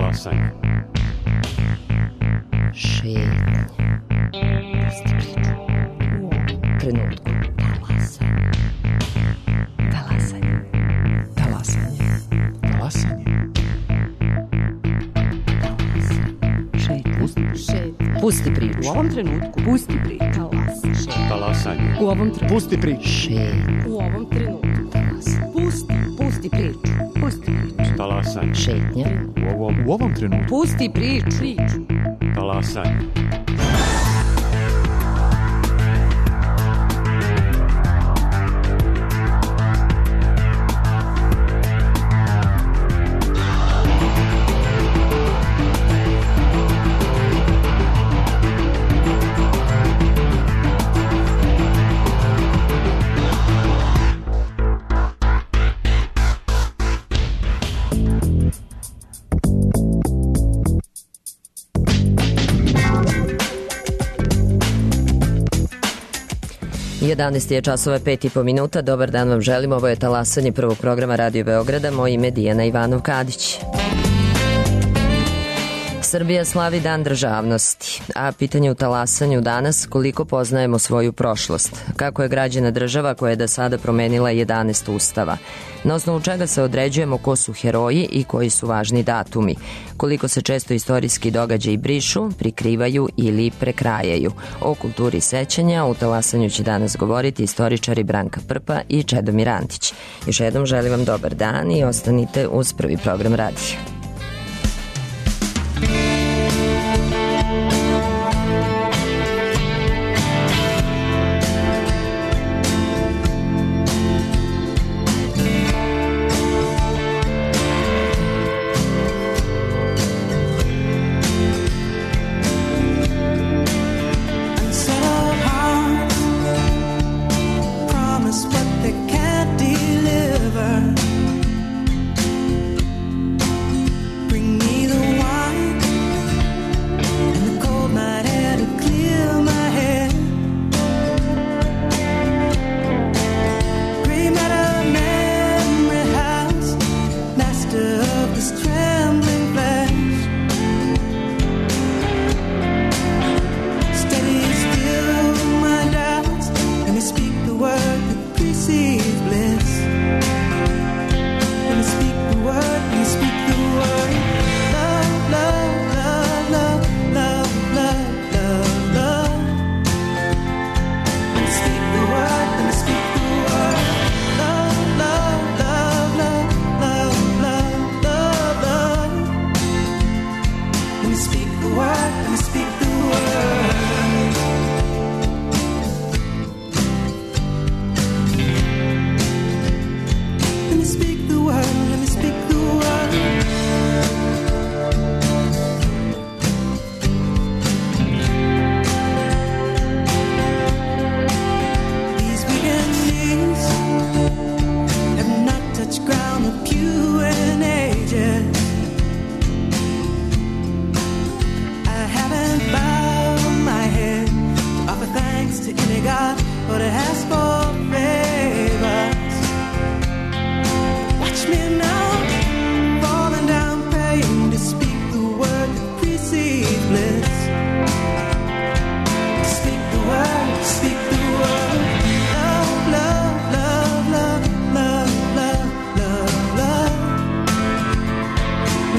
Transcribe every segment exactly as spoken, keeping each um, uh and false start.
Talasanje. Šetnje. Pusti priču. U ovom trenutku. Talasanje. Talasanje. Talasanje. Talasanje. Šetnje. Pusti priču. U ovom trenutku. Pusti priču. Talasanje. U ovom trenutku. Pusti priču. Šetnje. U ovom trenutku. Talasanje. Pusti. Pusti priču. Pusti priču. Talasanje. Šetnje. U ovom, U ovom trenutku. Pusti priču. Priču. talasanje. jedanaest je časova, pet i po minuta. Dobar dan vam želim. Ovo je talasanje prvog programa Radio Beograda. Moje ime je Dijana Ivanov-Kadić. Srbija slavi Dan državnosti, a pitanje u talasanju danas koliko poznajemo svoju prošlost, kako je građena država koja je do sada promenila jedanaest ustava, na osnovu čega se određujemo ko su heroji i koji su važni datumi, koliko se često istorijski događaji brišu, prikrivaju ili prekrajaju. O kulturi sećanja u talasanju će danas govoriti istoričari Branka Prpa i Čedomir Antić. Još jednom želim vam dobar dan i ostanite uz prvi program radija.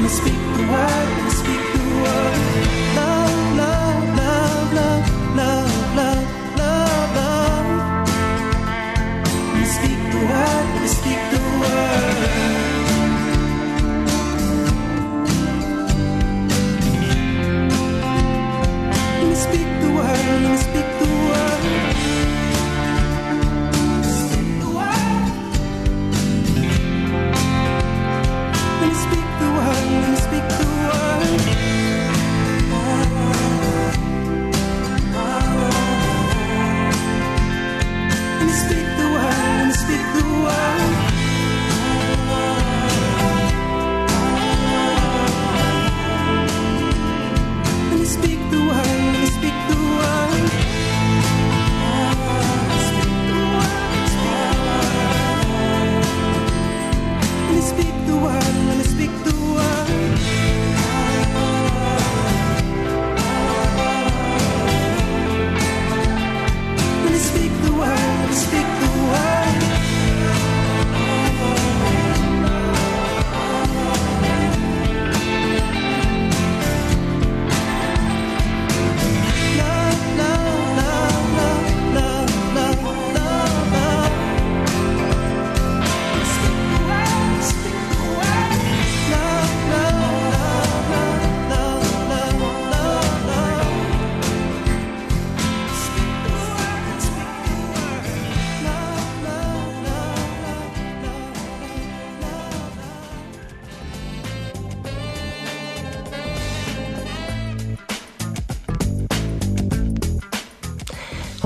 Speak the word, speak the word.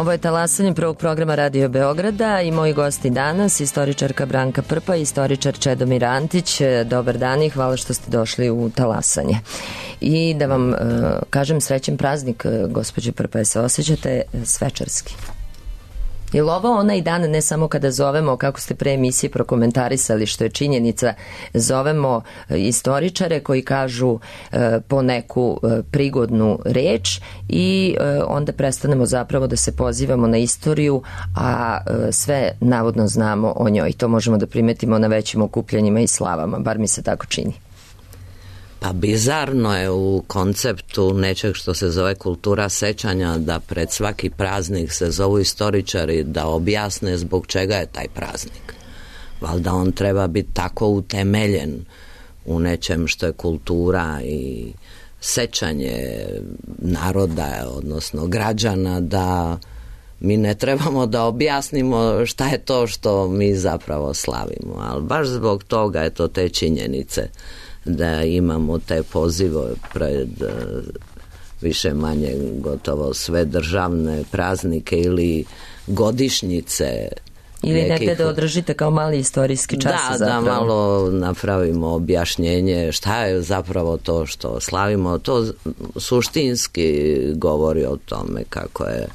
Ovo je talasanje prvog programa Radio Beograda i moji gosti danas, istoričarka Branka Prpa i istoričar Čedomir Antić. Dobar dan i hvala što ste došli u talasanje. I da vam uh, kažem srećen praznik, gospođe Prpa, je se osjećate svečarski? Je li ovo onaj dan, ne samo kada zovemo, kako ste pre emisije prokomentarisali, što je činjenica, zovemo istoričare koji kažu e, po neku e, prigodnu reč i e, onda prestanemo zapravo da se pozivamo na istoriju, a e, sve navodno znamo o njoj. To možemo da primetimo na većim okupljanjima i slavama, bar mi se tako čini. Pa bizarno je u konceptu nečeg što se zove kultura sećanja da pred svaki praznik se zovu istoričari da objasne zbog čega je taj praznik. Valjda on treba biti tako utemeljen u nečem što je kultura i sećanje naroda, odnosno građana, da mi ne trebamo da objasnimo šta je to što mi zapravo slavimo. Ali baš zbog toga je to te činjenice da imamo te pozive pred više manje gotovo sve državne praznike ili godišnjice. Ili nekih... negde da održite kao mali istorijski čas. Da, zapravo. Da malo napravimo objašnjenje šta je zapravo to što slavimo. To suštinski govori o tome kako je,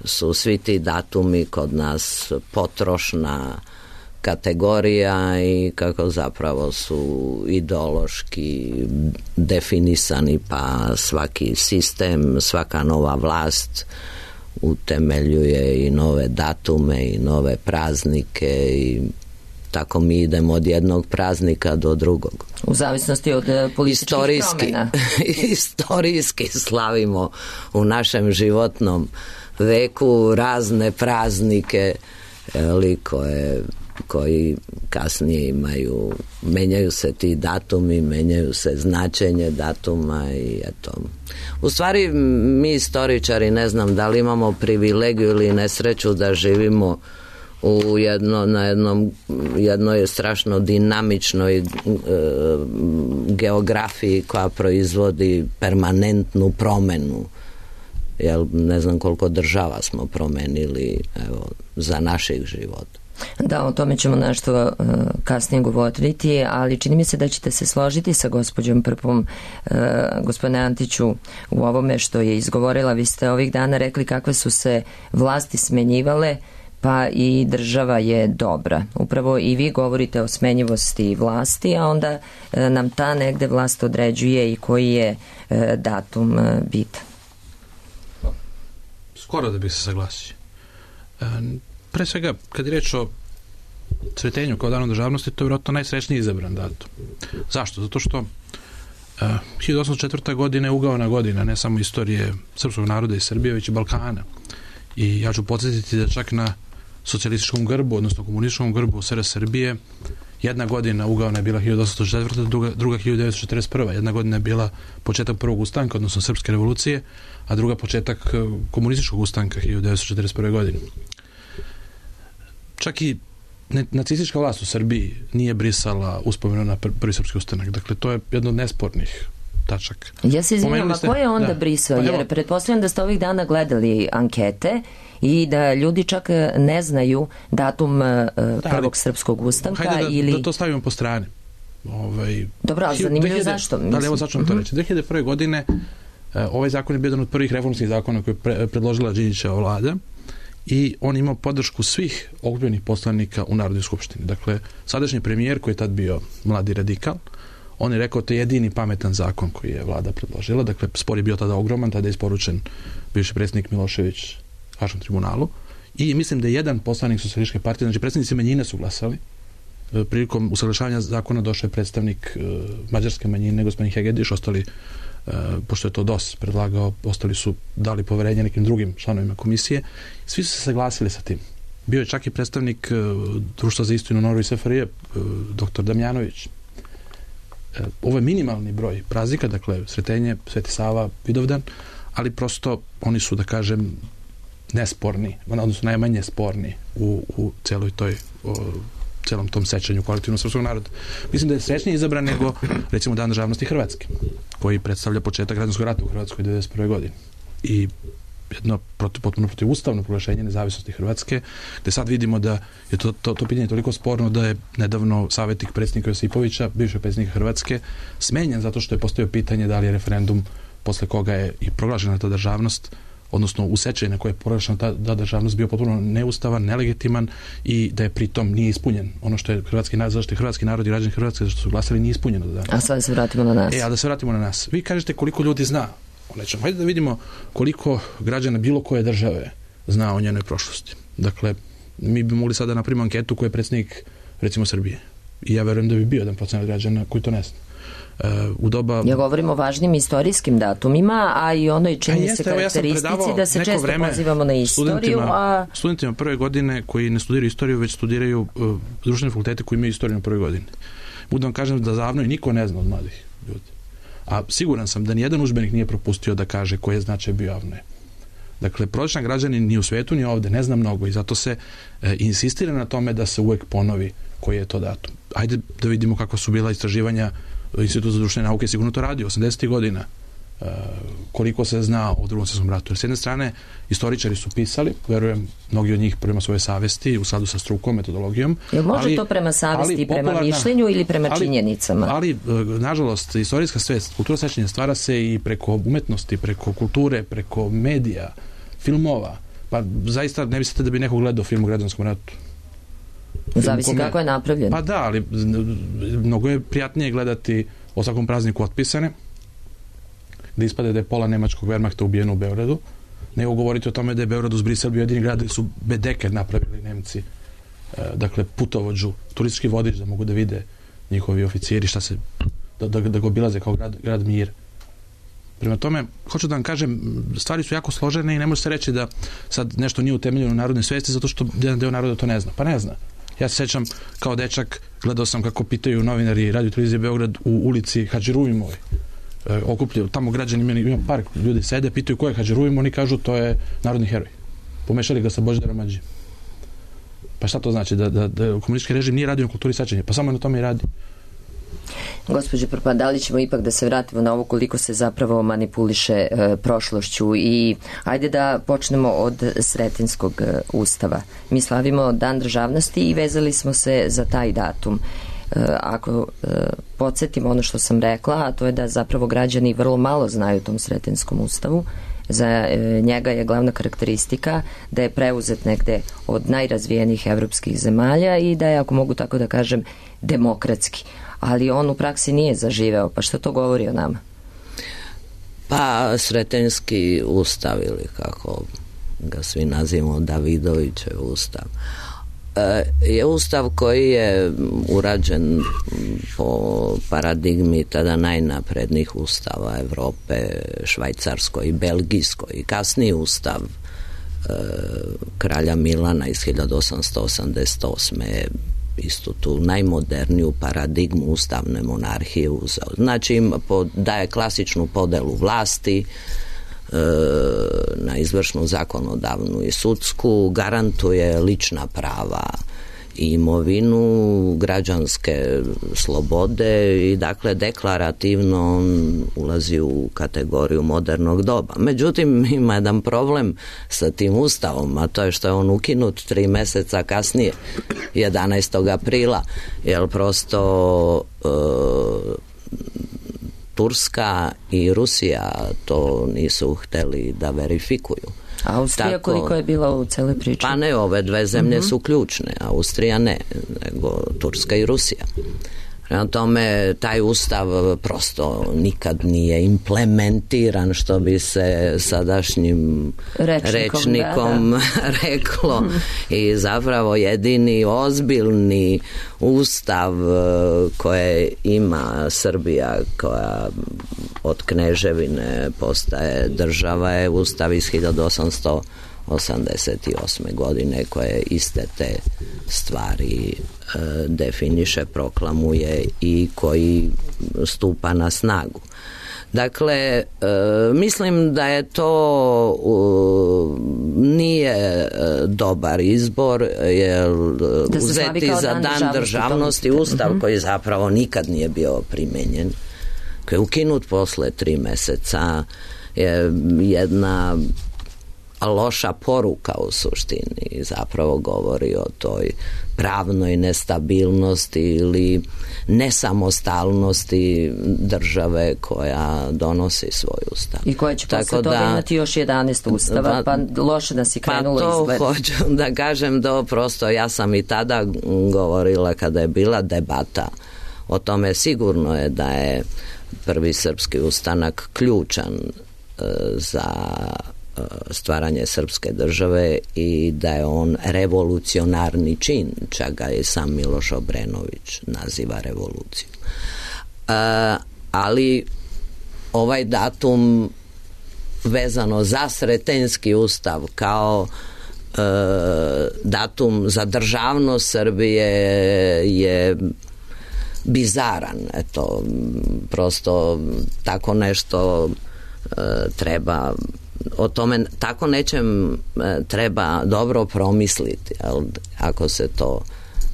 su svi ti datumi kod nas potrošna kategorija i kako zapravo su ideološki definisani, pa svaki sistem, svaka nova vlast utemeljuje i nove datume i nove praznike i tako mi idemo od jednog praznika do drugog. U zavisnosti od političkih Istorijski, promjena. Istorijski slavimo u našem životnom veku razne praznike, ali koje koji kasnije imaju, menjaju se ti datumi, menjaju se značenje datuma i eto. U stvari mi istoričari ne znam da li imamo privilegiju ili nesreću da živimo u jedno, na jednom, jednoj strašno dinamičnoj e, geografiji koja proizvodi permanentnu promenu. Jel, ne znam koliko država smo promenili evo, za naših života. Da, o tome ćemo nešto uh, kasnije govoriti, ali čini mi se da ćete se složiti sa gospođom Prpom, uh, gospodine Antiću, u ovome što je izgovorila. Vi ste ovih dana rekli kakve su se vlasti smenjivale, pa i država je dobra. Upravo i vi govorite o smenjivosti vlasti, a onda uh, nam ta negde vlast određuje i koji je uh, datum uh, bitan. Skoro da bih se saglasio. Um, Pre svega, kad je reč o cvetenju kao danu državnosti, to je vjerojatno najsrećniji izabran datum. Zašto? Zato što uh, hiljadu osamsto četvrta. godina je ugaona godina, ne samo istorije srpskog naroda i Srbije, već i Balkana. I ja ću podsjetiti da čak na socijalističkom grbu, odnosno komunističkom grbu S R Srbije, jedna godina ugaona je bila hiljadu osamsto četvrta. druga, druga hiljadu devetsto četrdeset prva. Jedna godina je bila početak prvog ustanka, odnosno Srpske revolucije, a druga početak komunističkog ustanka hiljadu devetsto četrdeset prve. godine. Čak i nacistička vlast u Srbiji nije brisala uspomenu na prvi srpski ustanak. Dakle, to je jedno od nespornih tačaka. Ja se izvinjam, a ko je onda da. brisao? Jer evo, pretpostavljam da ste ovih dana gledali ankete i da ljudi čak ne znaju datum da, prvog srpskog ustanka. Hajde da, ili... da to stavimo po strani. Ovaj, Dobro, ali zanimljivo zašto? Da, ali evo zašto vam to reći. dve hiljade prve. godine ovaj zakon je bio jedan od prvih reformskih zakona koje je pre, predložila Đinđićeva vlada. I on imao podršku svih okupljenih poslanika u Narodnoj skupštini. Dakle, sadašnji premijer koji je tad bio mladi radikal, on je rekao to je jedini pametan zakon koji je vlada predložila. Dakle, spor je bio tada ogroman, tada je isporučen bivši predsjednik Milošević Haškom tribunalu i mislim da je jedan poslanik Socijalističke partije, znači predstavnici manjine su glasali. Prilikom usaglašavanja zakona došao je predstavnik mađarske manjine, gospodin Hegediš, ostali Uh, pošto je to D O S predlagao, ostali su dali poverenje nekim drugim članovima komisije. Svi su se saglasili sa tim. Bio je čak i predstavnik uh, Društva za istinu Norve i S F R J, uh, doktor Damjanović. Uh, ovo je minimalni broj praznika, dakle Sretenje, Sveti Sava, Vidovdan, ali prosto oni su, da kažem, nesporni, odnosno najmanje sporni u, u celoj toj uh, celom tom sećanju kolektivnog srpskog naroda. Mislim da je srećnije izabran nego recimo Dan državnosti Hrvatske, koji predstavlja početak građanskog rata u Hrvatskoj devedeset prve. godine. I jedno protiv, potpuno protivustavno proglašenje nezavisnosti Hrvatske, gde sad vidimo da je to, to, to pitanje toliko sporno da je nedavno savjetnik predsjednika Josipovića, bivšeg predsjednika Hrvatske, smenjen zato što je postavio pitanje da li je referendum posle koga je i proglašena ta državnost, odnosno u sećaju na koje je proglašena ta, ta državnost bio potpuno neustavan, nelegitiman i da je pritom nije ispunjen. Ono što je hrvatski narod, zašto je hrvatski narod i građani Hrvatske što su glasali nije ispunjeno do danas. A sad se vratimo na nas. E, a da se vratimo na nas. Vi kažete koliko ljudi zna o nečemu. Hajde da vidimo koliko građana bilo koje države zna o njenoj prošlosti. Dakle, mi bi mogli sada napravimo anketu koju je predsjednik, recimo, Srbije. I ja verujem da bi bio jedan procenat građana koji to ne zna. Uh, u doba... Ja govorim o važnim istorijskim datumima, a i onoj čini se karakteristici ja da se često pozivamo na istoriju. Studentima, a... studentima prve godine koji ne studiraju istoriju, već studiraju uh, društvene fakultete koji imaju istoriju na prvoj godini. Budem vam kažem da za Avnoj niko ne zna od mladih ljudi. A siguran sam da nijedan udžbenik nije propustio da kaže koji je značaj bio Avnoje. Dakle, prosječan građanin ni u svetu ni ovde ne zna mnogo i zato se e, insistira na tome da se uvek ponovi koji je to datum. Ajde da vidimo kako su bila istraživanja Institut za društvene nauke, sigurno to radi osamdesetih godina. E, koliko se zna o Drugom svjetskom ratu. Jer s jedne strane, istoričari su pisali, verujem, mnogi od njih prema svoje savesti, u skladu sa strukom, metodologijom. Jel može ali, to prema savesti i prema mišljenju ili prema ali, činjenicama? Ali, nažalost, istorijska svest, kultura sećanja stvara se i preko umetnosti, preko kulture, preko medija, filmova. Pa zaista ne mislite da bi neko gledao film o građanskom ratu? Zavisi kome... kako je napravljen. Pa da, ali mnogo je prijatnije gledati o svakom prazniku otpisane, da ispade da je pola nemačkog Wehrmachta ubijeno u Beogradu, nego govoriti o tome da je Beograd uz Brisel bio jedini grad gde su bedeke napravili Nemci. E, dakle, putovođu, turistički vodič da mogu da vide njihovi oficiri šta se, da, da, da ga obilaze kao grad, grad mir. Prema tome, hoću da vam kažem, stvari su jako složene i ne može se reći da sad nešto nije utemeljeno u narodnoj svesti zato što jedan deo naroda to ne zna. Pa ne zna. Ja se sećam kao dečak, gledao sam kako pitaju novinari Radio televizije Beograd u ulici Hadži Ruvimoj. E, okupljaju, tamo građani, meni, ima park, ljudi sede, pitaju ko je Hadži Ruvim, oni kažu to je narodni heroj. Pomešali ga sa Božidarom Adžijom. Pa šta to znači? Da, da, da komunistički režim nije radio na kulturi sećanja? Pa samo na tome i radi. Gospođo Prpa, da li ćemo ipak da se vratimo na ovo koliko se zapravo manipuliše e, prošlošću i ajde da počnemo od Sretenskog e, ustava. Mi slavimo Dan državnosti i vezali smo se za taj datum. E, ako e, podsjetimo ono što sam rekla, a to je da zapravo građani vrlo malo znaju o tom Sretenskom ustavu. Za e, njega je glavna karakteristika da je preuzet negde od najrazvijenijih evropskih zemalja i da je, ako mogu tako da kažem, demokratski. Ali on u praksi nije zaživeo. Pa što to govori o nama? Pa Sretenski ustav, ili kako ga svi nazivamo, Davidovićev ustav, je ustav koji je urađen po paradigmi tada najnaprednijih ustava Evrope, švajcarskoj i belgijskoj. I kasniji ustav e, kralja Milana iz hiljadu osamsto osamdeset osme je istu tu najmoderniju paradigmu ustavne monarhije uzeo. Znači daje klasičnu podelu vlasti e, na izvršnu, zakonodavnu i sudsku, garantuje lična prava i imovinu, građanske slobode i dakle deklarativno on ulazi u kategoriju modernog doba. Međutim, ima jedan problem sa tim ustavom, a to je što je on ukinut tri meseca kasnije, jedanaestog aprila, jer prosto e, Turska i Rusija to nisu hteli da verifikuju. Austrija tako, koliko je bila u celoj priči? Pa ne, ove dve zemlje uh-huh. su ključne, Austrija ne, nego Turska i Rusija. Prema tome, taj ustav prosto nikad nije implementiran, što bi se sadašnjim rečnikom, rečnikom da, da. reklo. I zapravo jedini ozbiljni ustav koje ima Srbija, koja od kneževine postaje država, je ustav iz hiljadu osamsto osamdeset osme godine, koje iste te stvari e, definiše, proklamuje i koji stupa na snagu. Dakle, e, mislim da je to uh, nije e, dobar izbor, jer da uzeti za dan, dan državnosti ustav uh-huh. koji zapravo nikad nije bio primenjen, koji je ukinut posle tri meseca, je jedna loša poruka u suštini, zapravo govori o toj pravnoj nestabilnosti ili nesamostalnosti države koja donosi svoj ustav. I koja će posle toga da, imati još jedanaest ustava, pa, pa loše nas je krenulo pa to izgled. Hoću da kažem da prosto, ja sam i tada govorila kada je bila debata o tome, sigurno je da je prvi srpski ustanak ključan e, za stvaranje srpske države i da je on revolucionarni čin, čak ga je sam Miloš Obrenović naziva revoluciju. E, ali ovaj datum vezano za Sretenjski ustav kao e, datum za državnost Srbije je bizaran. Eto, prosto tako nešto e, treba o tome, tako nečem treba dobro promisliti, jel, ako se to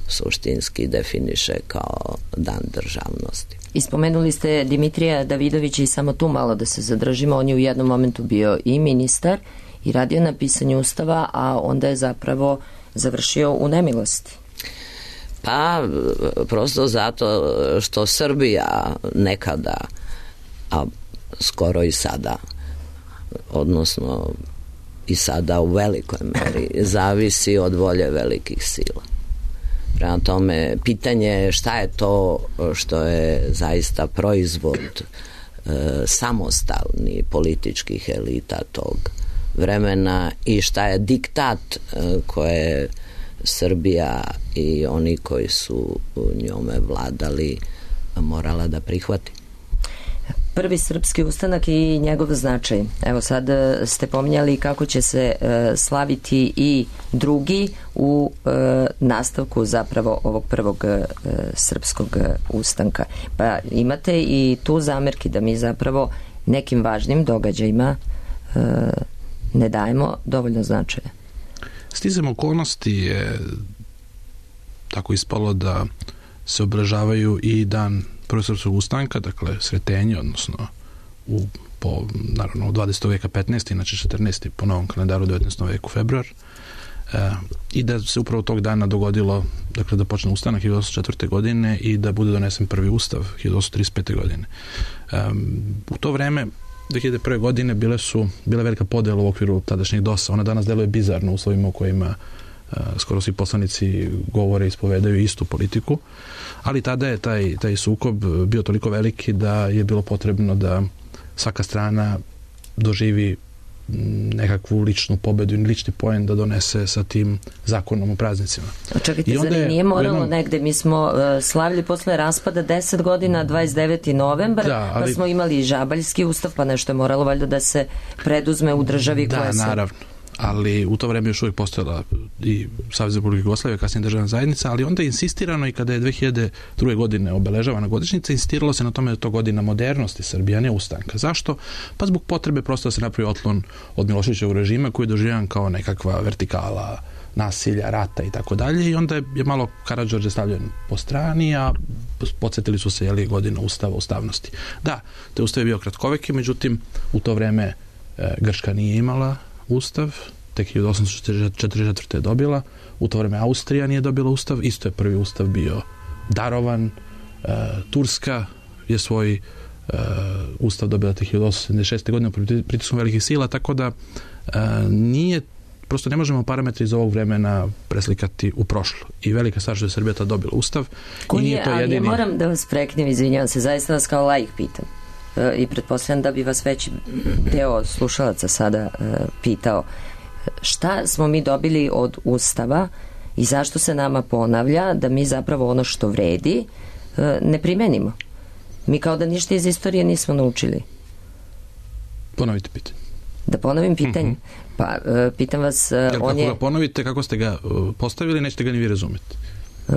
suštinski definiše kao dan državnosti. Ispomenuli ste Dimitrija Davidovića i samo tu malo da se zadržimo, on je u jednom momentu bio i ministar i radio na pisanju ustava, a onda je zapravo završio u nemilosti. Pa, prosto zato što Srbija nekada, a skoro i sada, odnosno i sada u velikoj meri zavisi od volje velikih sila. Prema tome, pitanje je šta je to što je zaista proizvod e, samostalnih političkih elita tog vremena i šta je diktat e, koje Srbija i oni koji su njome vladali morala da prihvati. Prvi srpski ustanak i njegov značaj. Evo sad ste pominjali kako će se e, slaviti i drugi u e, nastavku zapravo ovog prvog e, srpskog ustanka. Pa imate i tu zamerki da mi zapravo nekim važnim događajima e, ne dajemo dovoljno značaja. Sticam okolnosti je tako ispalo da se obeležavaju i dan prvog srpskog ustanka, dakle Sretenje, odnosno u, po, naravno u dvadesetog veka petnaesti, inače četrnaesti po novom kalendaru devetnaestom veku februar, e, i da se upravo tog dana dogodilo, dakle da počne ustanak hiljadu osamsto četvrte. godine i da bude donesen prvi ustav hiljadu osamsto trideset pete. godine. E, u to vreme dve hiljade prve. godine bile su bile velika podela u okviru tadašnjeg dosa. Ona danas deluje bizarno u uslovima u kojima uh, skoro svi poslanici govore i ispovedaju istu politiku, ali tada je taj, taj sukob bio toliko veliki da je bilo potrebno da svaka strana doživi nekakvu ličnu pobedu i lični poen da donese sa tim zakonom o praznicima. Čekajte, zar je, nije moralo jednom, negde? Mi smo uh, slavili posle raspada deset godina, dvadeset deveti novembar, da, ali, pa smo imali i Žabaljski ustav, pa nešto je moralo valjda da se preduzme u državi da, koja se... Da, naravno. Ali u to vreme još uvijek postojala i Savez Republike Jugoslavije, kasnije državna zajednica, ali onda je insistirano i kada je dve hiljade druge. godine obeležavana godišnjica, insistiralo se na tome da je to godina modernosti Srbije, a ne ustanka. Zašto? Pa zbog potrebe prosto da se napravi otklon od Miloševićevog režima koji je doživljan kao nekakva vertikala nasilja, rata i tako dalje, i onda je malo Karađorđe stavljen po strani, a podsjetili su se jeli godina ustava, ustavnosti. Da, to je ustav je bio kratkoveki, međutim u to vreme e, Grčka nije imala ustav, tek hiljadu osamsto četrdeset četvrte. je dobila, u to vreme Austrija nije dobila ustav, isto je prvi ustav bio darovan, e, Turska je svoj e, ustav dobila tek hiljadu osamsto sedamdeset šeste. godine pritiskom velikih sila, tako da e, nije, prosto ne možemo parametri iz ovog vremena preslikati u prošlo. I velika stvar što je Srbija ta dobila ustav. Koji i nije je, to jedini... ali ja moram da vas preknem, izvinjavam se, zaista vas kao laik pitam. I pretpostavljam da bi vas veći deo slušalaca sada pitao šta smo mi dobili od ustava i zašto se nama ponavlja da mi zapravo ono što vredi ne primenimo. Mi kao da ništa iz istorije nismo naučili. Ponovite pitanje. Da ponovim pitanje? Mm-hmm. Pa pitam vas... Jer on kako je... ga ponovite, kako ste ga postavili, nećete ga ni vi razumjeti. Uh,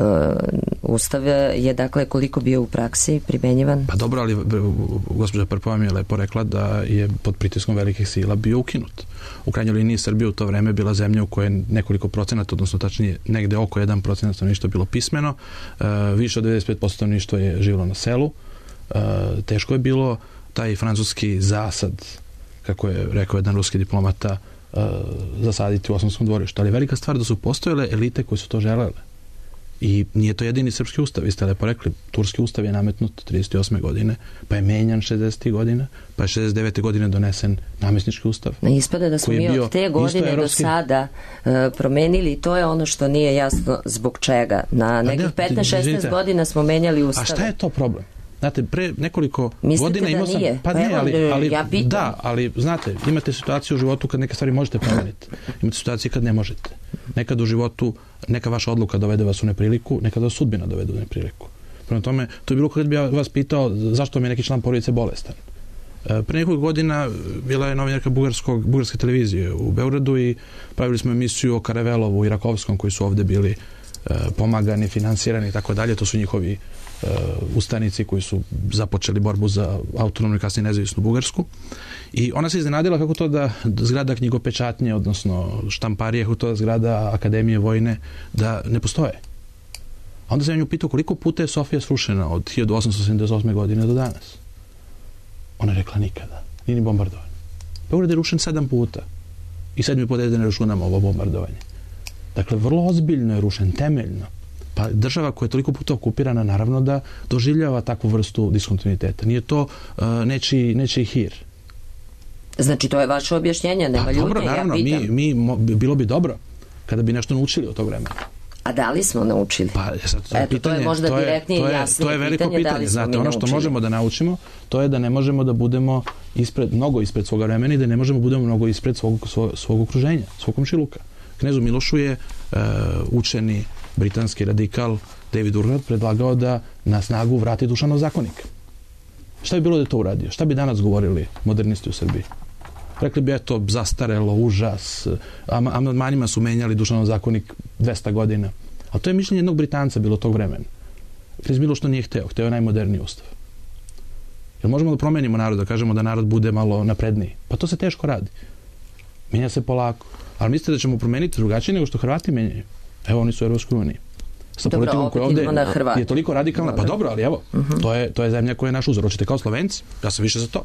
Ustav je dakle koliko bio u praksi primenjivan? Pa dobro, ali gospođa Prpova mi je lepo rekla da je pod pritiskom velikih sila bio ukinut. U krajnjoj liniji Srbija u to vreme bila zemlja u kojoj nekoliko procenata, odnosno tačnije negde oko jedan procenat stanovništva bilo pismeno, uh, više od devedeset pet posto stanovništva je živjelo na selu, uh, teško je bilo taj francuski zasad, kako je rekao jedan ruski diplomata, uh, zasaditi u Osmanskom dvorištu. Ali je velika stvar da su postojale elite koje su to želele. I nije to jedini srpski ustav, vi ste lepo rekli, turski ustav je nametnut trideset osme godine, pa je menjan šezdesetih godina, pa je šezdeset devete godine donesen namjesnički ustav. Ispada da smo mi od te godine evropski... do sada uh, promenili i to je ono što nije jasno zbog čega. Na nekih petnaest šesnaest godina smo menjali ustave. A šta je to problem? Znate, pre nekoliko Mislite godina imao sam... Nije? Pa, pa ne, evo, ali, ali ja pitam. Da, ali znate, imate situaciju u životu kad neke stvari možete promeniti. Imate situacije kad ne možete. Nekad u životu neka vaša odluka dovede vas u nepriliku, nekad vas sudbina dovede u nepriliku. Prema tome, to je bilo kad bi ja vas pitao zašto mi je neki član porodice bolestan. E, pre nekoliko godina bila je novinarka bugarskog, bugarske televizije u Beogradu i pravili smo emisiju o Karavelovu i Rakovskom koji su ovde bili e, pomagani, finansirani i tako dalje. To su njihovi Uh, ustanici koji su započeli borbu za autonomnu i kasnije nezavisnu Bugarsku. I ona se iznenadila kako to da zgrada knjigopečatnje, odnosno štamparije, kako to da zgrada Akademije vojne, da ne postoje. A onda sam ja nju pitao koliko puta je Sofija srušena od hiljadu osamsto sedamdeset osme godine do danas. Ona je rekla nikada. Nije ni bombardovanje. Beograd je rušen sedam puta. I sedmi put da ne računamo ovo bombardovanje. Dakle, vrlo ozbiljno je rušen, temeljno. Pa država koja je toliko puta okupirana naravno da doživljava takvu vrstu diskontinuiteta. Nije to uh, nečiji, nečiji hir. Znači to je vaše objašnjenje, nema pa, ljutnje, dobro, naravno, ja pitam. Mi, mi, mo, bilo bi dobro kada bi nešto naučili od tog vremena. A da li smo naučili? Pa, sad, to, je Eto, pitanje, to je možda to je, direktnije to je, i jasnije to je veliko pitanje, pitanje. Da li smo Znate, mi ono što naučili? možemo da naučimo, to je da ne možemo da budemo ispred, mnogo ispred svoga vremena i da ne možemo da budemo mnogo ispred svog, svog, svog okruženja, svog komšiluka. Knezu Milošu je uh, učeni britanski radikal David Urquhart predlagao da na snagu vrati Dušanov zakonik. Šta bi bilo da je to uradio? Šta bi danas govorili modernisti u Srbiji? Rekli bi, eto, zastarelo, užas, amandmanima su menjali Dušanov zakonik dvesta godina. A to je mišljenje jednog Britanca bilo tog vremena. Knez Miloš to nije hteo, hteo je najmoderniji ustav. Jer možemo da promenimo narod, da kažemo da narod bude malo napredniji? Pa to se teško radi. Menja se polako. Ali mislite da ćemo promeniti drugačije nego što Hrvati menjaju? Evo, oni su u Europskoj uniji. Sa dobro, politikom koja ovde je toliko radikalna. Dobro. Pa dobro, ali evo, uh-huh. to, je, to je zemlja koja je naš uzor. Hoćete kao Slovenci? Ja sam više za to.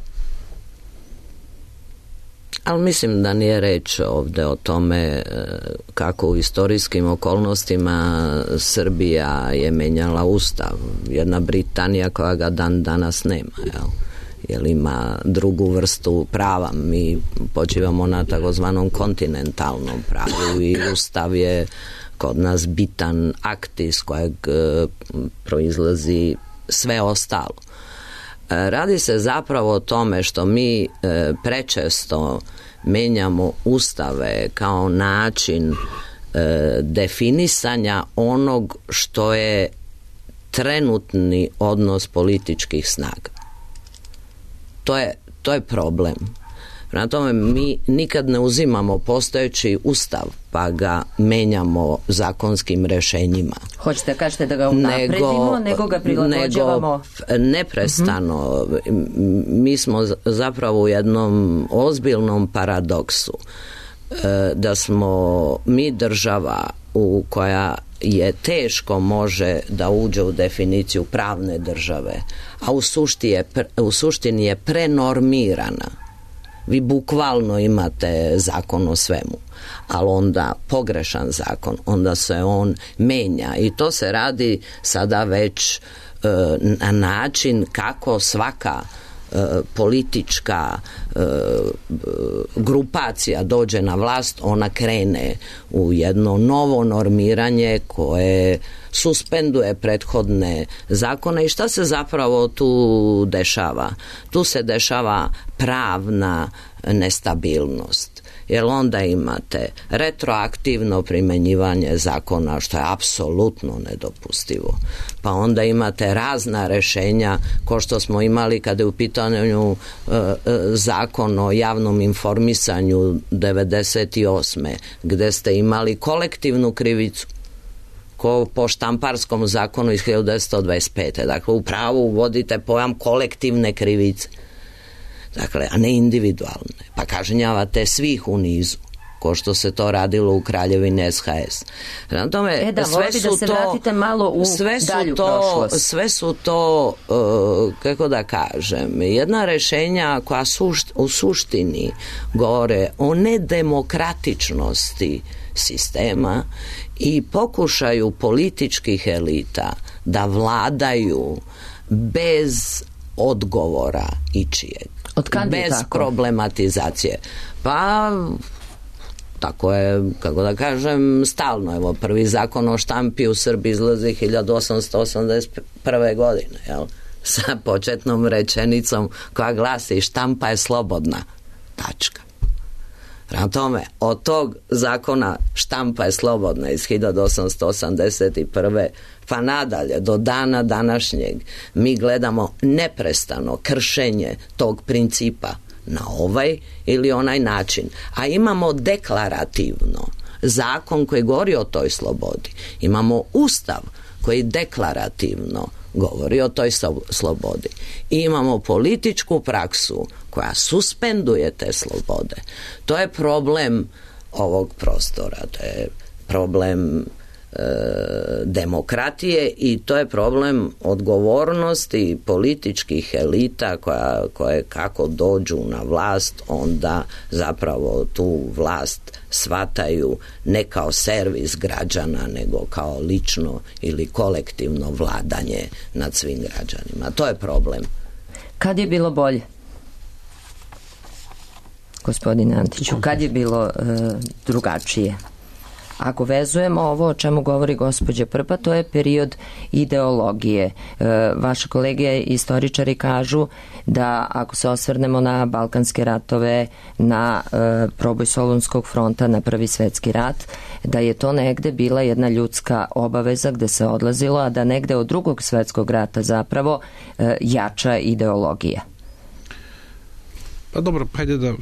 Ali mislim da nije reč ovde o tome kako u istorijskim okolnostima Srbija je menjala ustav. Jedna Britanija koja ga dan danas nema, jel? Jer ima drugu vrstu prava. Mi počivamo na takozvanom kontinentalnom pravu i ustav je kod nas bitan akt iz kojeg e, proizlazi sve ostalo. E, radi se zapravo o tome što mi e, prečesto menjamo ustave kao način e, definisanja onog što je trenutni odnos političkih snaga. To je, to je problem. Prema tome, mi nikad ne uzimamo postojeći ustav pa ga menjamo zakonskim rešenjima. Hoćete kažete da ga unapredimo, nego, nego ga prilagođavamo? Nego neprestano. Uh-huh. Mi smo zapravo u jednom ozbiljnom paradoksu. Da smo mi država u koja je teško može da uđe u definiciju pravne države, a u suštini je, u suštini je prenormirana. Vi bukvalno imate zakon o svemu, ali onda pogrešan zakon, onda se on menja i to se radi sada već e, na način kako svaka e, politička e, grupacija dođe na vlast, ona krene u jedno novo normiranje koje suspenduje prethodne zakone. I šta se zapravo tu dešava? Tu se dešava pravna nestabilnost. Jer onda imate retroaktivno primenjivanje zakona, što je apsolutno nedopustivo. Pa onda imate razna rešenja, ko što smo imali kada je u pitanju e, e, zakon o javnom informisanju devedeset osme gde ste imali kolektivnu krivicu ko po štamparskom zakonu iz hiljadu devetsto dvadeset pete. Dakle, u pravu uvodite pojam kolektivne krivice. Dakle, a ne individualne. Pa kažnjavate svih u nizu. ko što se to radilo u Kraljevini S H S. Na tome, e da, sve voli su da se to, vratite malo u sve su dalju to, prošlost. sve su to, uh, kako da kažem, jedna rešenja koja sušt, u suštini govore o nedemokratičnosti sistema i pokušaju političkih elita da vladaju bez odgovora ičijeg. Od kad je bez tako? Problematizacije. Pa tako je, kako da kažem, stalno. Evo, prvi zakon o štampi u Srbiji izlazi hiljadu osamsto osamdeset prve. godine, jel? Sa početnom rečenicom koja glasi štampa je slobodna. Tačka. Prema tome, od tog zakona štampa je slobodna iz hiljadu osamsto osamdeset prve. pa nadalje, do dana današnjeg, mi gledamo neprestano kršenje tog principa na ovaj ili onaj način. A imamo deklarativno zakon koji govori o toj slobodi. Imamo ustav koji deklarativno govori o toj slobodi. I imamo političku praksu koja suspenduje te slobode. To je problem ovog prostora. To je problem demokratije i to je problem odgovornosti političkih elita koja, koje kako dođu na vlast, onda zapravo tu vlast shvataju ne kao servis građana, nego kao lično ili kolektivno vladanje nad svim građanima. To je problem. Kad je bilo bolje? Gospodine Antiću, kad je bilo uh, drugačije? Ako vezujemo ovo o čemu govori gospođa Prpa, to je period ideologije. E, vaše kolege istoričari kažu da ako se osvrnemo na Balkanske ratove, na e, proboj Solunskog fronta, na Prvi svetski rat, da je to negde bila jedna ljudska obaveza gde se odlazilo, a da negde od Drugog svetskog rata zapravo e, jača ideologija. Pa dobro, hajde da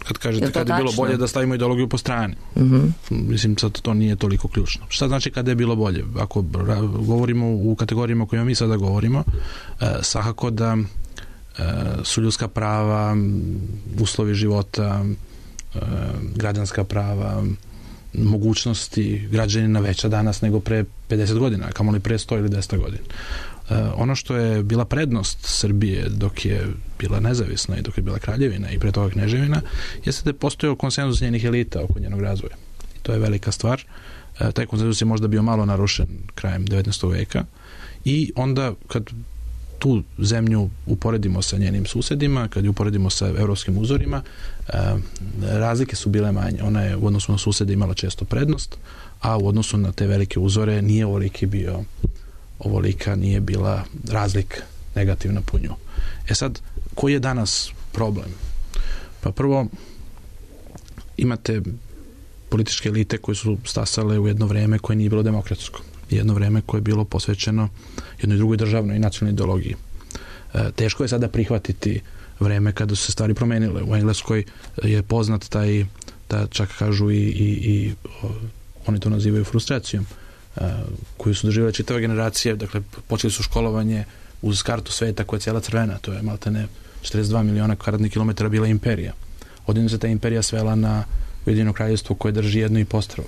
kad kažete kada je bilo bolje da stavimo ideologiju po strani. Uh-huh. Mislim, sad to nije toliko ključno. Šta znači kada je bilo bolje? Ako govorimo u kategorijama o kojima mi sada govorimo, eh, svakako da eh, su ljudska prava, uslovi života, eh, građanska prava, mogućnosti građanina veća danas nego pre pedeset godina, kamoli pre sto ili deset godina. Uh, ono što je bila prednost Srbije dok je bila nezavisna i dok je bila kraljevina i pre toga kneževina, jeste da je postojao konsenzus njenih elita oko njenog razvoja. I to je velika stvar. Uh, taj konsenzus je možda bio malo narušen krajem devetnaestog veka i onda kad tu zemlju uporedimo sa njenim susedima, kad ju uporedimo sa evropskim uzorima, uh, razlike su bile manje. Ona je u odnosu na susede imala često prednost, a u odnosu na te velike uzore nije ovoliki bio ovolika nije bila razlika negativna po nju. E sad, koji je danas problem? Pa prvo, imate političke elite koje su stasale u jedno vreme koje nije bilo demokratsko. Jedno vreme koje je bilo posvećeno jednoj drugoj državnoj i nacionalnoj ideologiji. E, teško je sada prihvatiti vreme kada su se stvari promenile. U Engleskoj je poznat taj, da čak kažu i, i, i o, oni to nazivaju frustracijom, koju su doživjeli čitave generacije. Dakle, počeli su školovanje uz kartu sveta koja je cijela crvena, to je maltene četrdeset dva miliona kvadratnih kilometara bila imperija. Odjednom se ta imperija svela na Ujedinjeno kraljevstvo koje drži jedno i postrvo,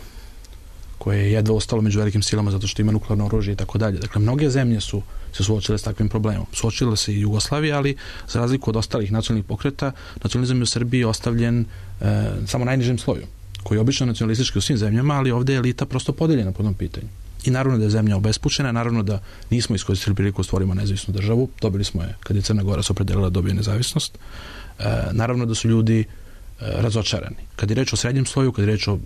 koje je jedva ostalo među velikim silama zato što ima nuklearno oružje i tako dalje. Dakle, mnoge zemlje su se suočile s takvim problemom. Suočila se i Jugoslavija, ali za razliku od ostalih nacionalnih pokreta, nacionalizam je u Srbiji ostavljen e, samo najnižem sloju, koji je obično nacionalistički u svim zemljama, ali ovdje je elita prosto podeljena po tom pitanju. I naravno da je zemlja obespućena, naravno da nismo iskoristili priliku da stvorimo nezavisnu državu, dobili smo je kad je Crna Gora se opredelila da dobije nezavisnost. E, naravno da su ljudi e, razočarani. Kad je reč o srednjem sloju, kad je reč o uh,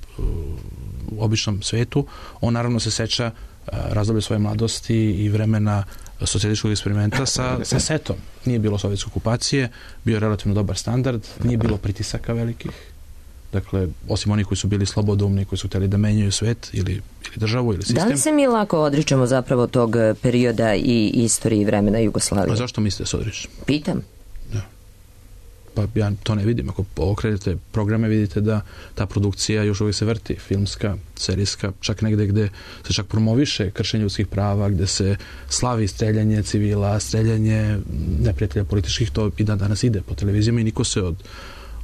običnom svetu, on naravno se seća uh, razdoblje svoje mladosti i vremena socijalističkog eksperimenta sa, sa setom. Nije bilo sovjetske okupacije, bio je relativno dobar standard, nije bilo pritisaka velikih. Dakle, osim onih koji su bili slobodoumni, koji su htjeli da menjaju svet ili, ili državu ili sistem. Da li se mi lako odričemo zapravo tog perioda i istorije vremena Jugoslavije? A zašto mislite se odričemo? Pitam. Da. Pa ja to ne vidim. Ako okrenete programe, vidite da ta produkcija još uvijek se vrti. Filmska, serijska, čak negde gde se čak promoviše kršenje ljudskih prava, gde se slavi streljanje civila, streljanje neprijatelja političkih, to i dan danas ide po televizijama i niko se od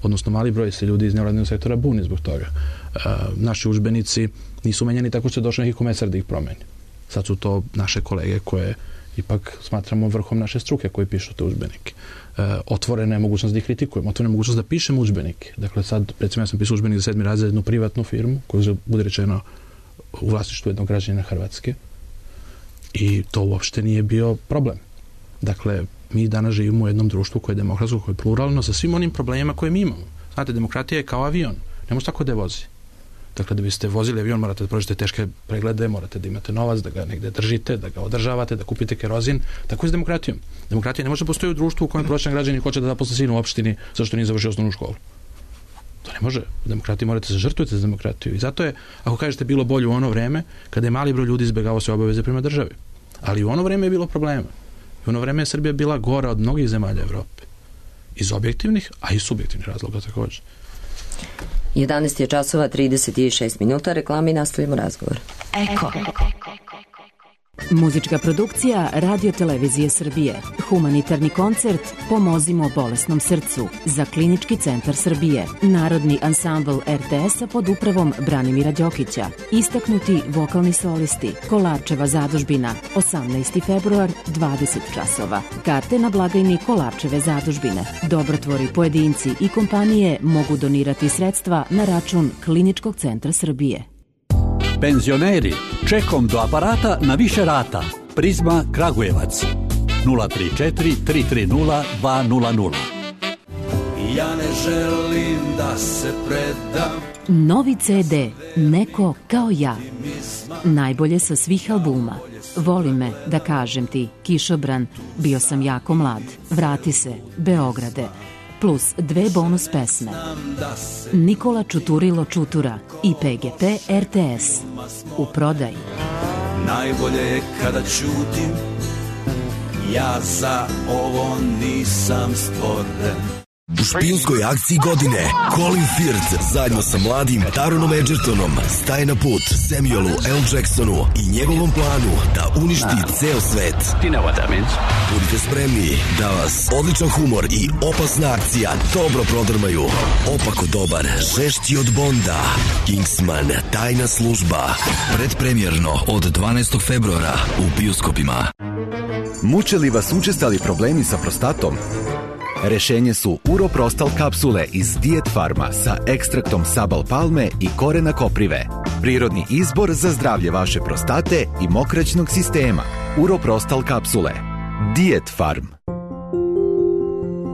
odnosno mali broj se ljudi iz nevladinog sektora buni zbog toga. E, naši udžbenici nisu menjani tako što je došao neki komesar da ih promeni. Sad su to naše kolege koje ipak smatramo vrhom naše struke koji pišu te udžbenike. E, otvorena je mogućnost da ih kritikujemo, otvorena je mogućnost da pišemo udžbenike. Dakle, sad, recimo, ja sam pisao udžbenik za sedmi razred za jednu privatnu firmu, koju bude rečeno u vlasništvu jednog građanina Hrvatske, i to uopšte nije bio problem. Dakle, mi danas živimo u jednom društvu koje je demokratsko, koje je pluralno, sa svim onim problemima koje mi imamo. Znate, demokratija je kao avion. Ne može tako da je vozi. Dakle, da biste vozili avion, morate da prođete teške preglede, morate da imate novac, da ga negde držite, da ga održavate, da kupite kerozin. Tako je s demokratijom. Demokratija ne može postoji u društvu u kojem prosječan građanin hoće da zaposli sina u opštini zašto nije završio osnovnu školu. To ne može. U demokratiji morate se žrtvujete za demokratiju. I zato je, ako kažete, bilo bolje u ono vreme kada je mali broj ljudi izbegavao sve obaveze prema državi. Ali u ono vreme je bilo problema. U ono vreme je Srbija bila gora od mnogih zemalja Evrope. Iz objektivnih, a i subjektivnih razloga također. jedanaest je časova trideset šest minuta, reklami i nastavimo razgovor. Eko. Muzička produkcija Radio Televizije Srbije. Humanitarni koncert Pomozimo bolesnom srcu za Klinički centar Srbije. Narodni ansambl er te es-a pod upravom Branimira Đokića. Istaknuti vokalni solisti. Kolarčeva zadužbina. osamnaesti februar, dvadeset časova. Karte na blagajni Kolarčeve zadužbine. Dobrotvori, pojedinci i kompanije mogu donirati sredstva na račun Kliničkog centra Srbije. Penzioneri, čekom do aparata na više rata. Prizma Kragujevac. nula tri četiri tri tri nula dva nula nula. Ja ne želim da se predam. Novi ce de Neko kao ja. Najbolje sa svih albuma. Voli me, da kažem ti, Kišobran, Bio sam jako mlad, Vrati se, Beograde, plus dve bonus pesme. Nikola Čuturilo Čutura i pe ge pe er te es. U prodaji. Najbolje je kada ćutim, ja za ovo nisam stvoren. U špijunskoj akciji godine Colin Firth zajedno sa mladim Taronom Edgertonom staje na put Samuelu L. Jacksonu i njegovom planu da uništi ceo svet. Budite spremni da vas odličan humor i opasna akcija dobro prodrmaju. Opako dobar, žešći od Bonda, Kingsman, tajna služba. Predpremjerno od dvanaestog februara u bioskopima. Muče li vas učestali problemi sa prostatom? Rešenje su Uroprostal kapsule iz Diet Farma sa ekstraktom sabal palme i korena koprive. Prirodni izbor za zdravlje vaše prostate i mokraćnog sistema. Uroprostal kapsule. Diet Farm.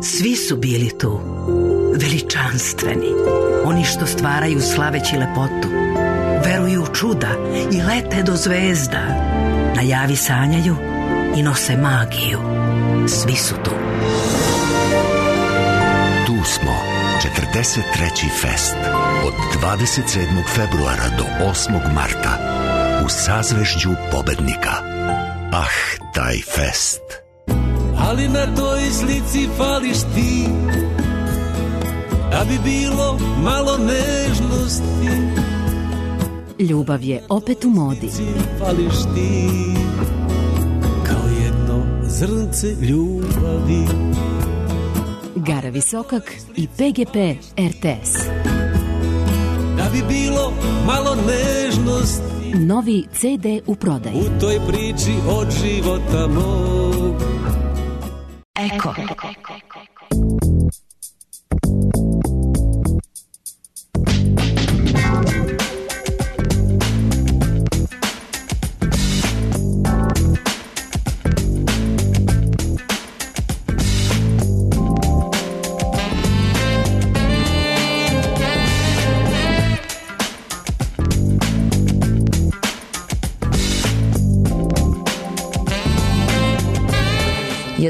Svi su bili tu, veličanstveni, oni što stvaraju slaveći lepotu, veruju u čuda i lete do zvezda, na javi sanjaju i nose magiju. Svi su tu. Tu smo, četrdeset treći fest, od dvadeset sedmog februara do osmog marta, u sazvežđu pobednika. Ah, taj fest. Ali na toj slici fališ ti, da bi bilo malo nežnosti. Ljubav je opet u modi. Fališ ti, kao jedno zrnce ljubavi. Gara Visokak i pe ge pe er te es. Da bi bilo malo nežnosti. Novi ce de u prodaji. U toj priči od života mog. Eko.